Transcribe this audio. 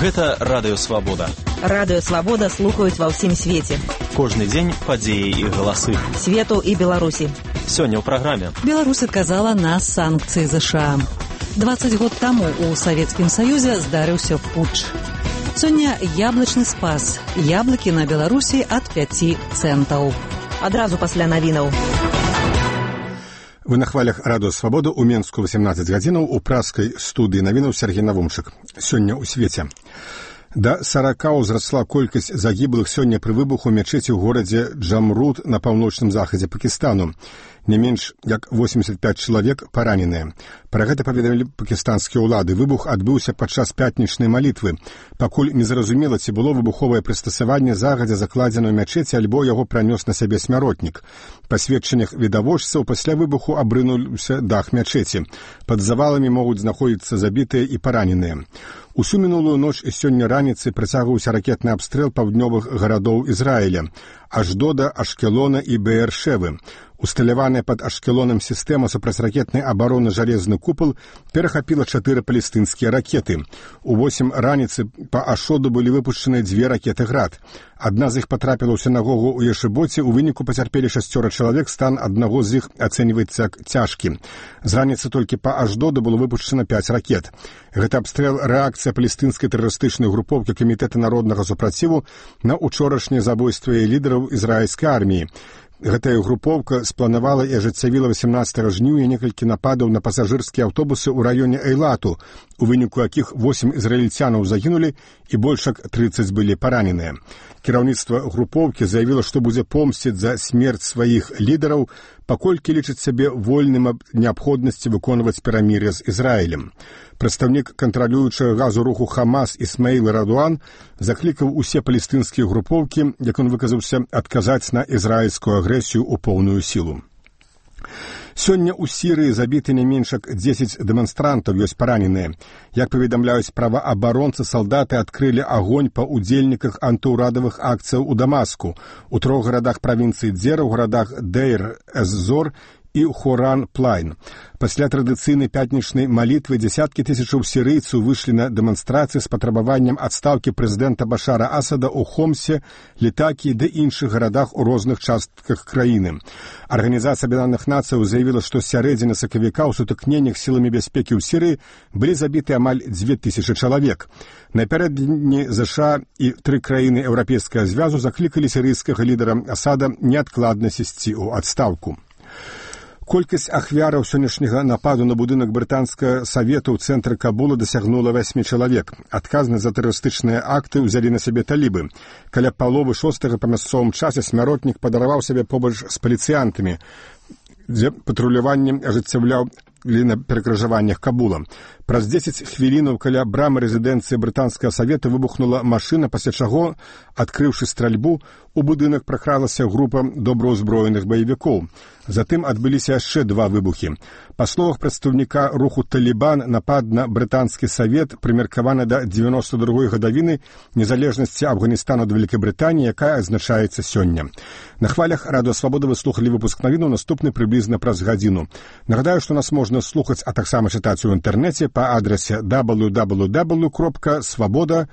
Гэта Радыё Свабода. Радыё Свабода слухаюць ва ўсім свеце. Кожны дзень падзеі і галасы. Свету і Беларусі. Сёння ў праграме. Беларусь адказала на санкцыі ЗША. 20 год таму ў Савецкім Саюзе здарыўся путч. Сёння яблычны спас. Яблыкі на Беларусі ад 5 цэнтаў. Адразу пасля навінаў. Вы на хвалях Радыё Свабода ў Менску 18 гадзінаў у праскай студыі навінаў Сергей Навумчык. Сёння ў свеце. Да 40 ўзрасла колькасць загіблых сёння пры выбуху мячэці ў горадзе Джамруд на паўночным захадзе Пакістану. Не менш як 85 чалавек параненыя. Пра гэта паведамілі пакістанскія ўлады. Выбух адбыўся падчас пятнічнай малітвы. Пакуль незразумела, ці было выбуховае прыстасаванне загадзя закладзена ў мячэці, альбо яго пранёс на сябе смяротнік. Па сведчаннях відавочцаў, пасля выбуху абрынуўся дах мячэці. Пад заваламі могуць знаходзіцца забітыя і параненыя. Усю мінулую ноч і сёння раніцай працягваўся ракетны абстрэл паўднёвых гарадоў Ізраіля – Аждода, Ашкелона і Беэршевы. Усталяваная пад Ашкелонам сістэма супрацьракетнай абароны «Жалезны купал» перахапіла 4 палестынскія ракеты. У 8 раніцы па Ашоду былі выпушчаны 2 ракеты «Град». Адна з іх патрапіла ў сінагогу ў Ешыбоце, у выніку пацярпелі 6 чалавек, стан аднаго з іх ацэньваецца як цяжкі. З раніцы толькі па Аждоду было выпушчана 5 ракет. Гэта абстрэл рэакцыя палестынскай тэрарыстычнай групоўкі Камітэта народнага супраціву на учорашняе забойства лідараў ізраільскай арміі. Гэтая групоўка спланавала і ажыццявіла 18 жніўня некалькі нападаў на пасажырскія аўтобусы ў раёне Эйлату, у выніку якіх 8 ізраільцянаў загінулі і больш як 30 былі параненыя. Кіраўніцтва групоўкі заявіла, што будзе помсціць за смерць сваіх лідараў, паколькі лічыць сябе вольным ад неабходнасці выконваць перамір'е з Ізраілем. Прадстаўнік кантралюючага газу руху Хамас Ісмаіл Радуан заклікаў усе палестынскія групоўкі, як ён выказаўся, адказаць на ізраільскую агрэсію ў поўную сілу. Сёння ў Сірыі забіты не менш як 10 дэманстрантаў, ёсць параненыя. Як паведамляюць праваабаронцы, салдаты адкрылі агонь па ўдзельніках антыўрадавых акцыяў у Дамаску, у 3 гарадах правінцыі Дзера, у гарадах Дейр-эз-Зор і Хоран-Плайн. Пасля традыцыйнай пятнічнай малітвы дзесяткі тысячаў сірыйцаў выйшлі на дэманстрацыі з патрабаваннем адстаўкі прэзідэнта Башара Асада ў Хомсе, Літакі ды іншых гарадах у розных частках краіны. Арганізацыя Аб'яднаных Нацыяў заявіла, што з сярэдзіны сакавіка ў сутыкненнях сіламі бяспекі ў Сірыі былі забіты амаль 2000 чалавек. Напярэдадні ЗША і 3 краіны Еўрапейскага звязу заклікалі сірыйскага лідара Асада неадкладна сысці ў адстаўку. Колькасць ахвяраў сённяшняга нападу на будынак брытанскага савета ў цэнтры Кабула дасягнула 8 чалавек. Адказнасць за тэрарыстычныя акты ўзялі на сябе талібы. Каля паловы 6 па мясцовым часе смяротнік падараваў сябе побач з паліцыянтамі, дзе патруляванне ажыццяўляў на перакрыжаваннях Кабула. Праз 10 хвілінаў каля брамы рэзідэнцыі брытанскага савета выбухнула машына, пасля чаго, адкрыўшы стральбу, у будынак пракралася група добраўзброеных баевікоў. Затым адбыліся яшчэ 2 выбухі. Па словах прадстаўніка руху «Талібан», напад на брытанскі савет прымеркаваны да 92-й гадавіны незалежнасці Афганістана ад Вялікай Брытаніі, якая адзначаецца сёння. На хвалях Радыё Свабода вы слухалі выпуск навінаў, наступны прыблізна праз гадзіну. Нагадаю, што нас можна слухаць, а таксама чытаць у інтэрнэце па адрасе www.svoboda.ru.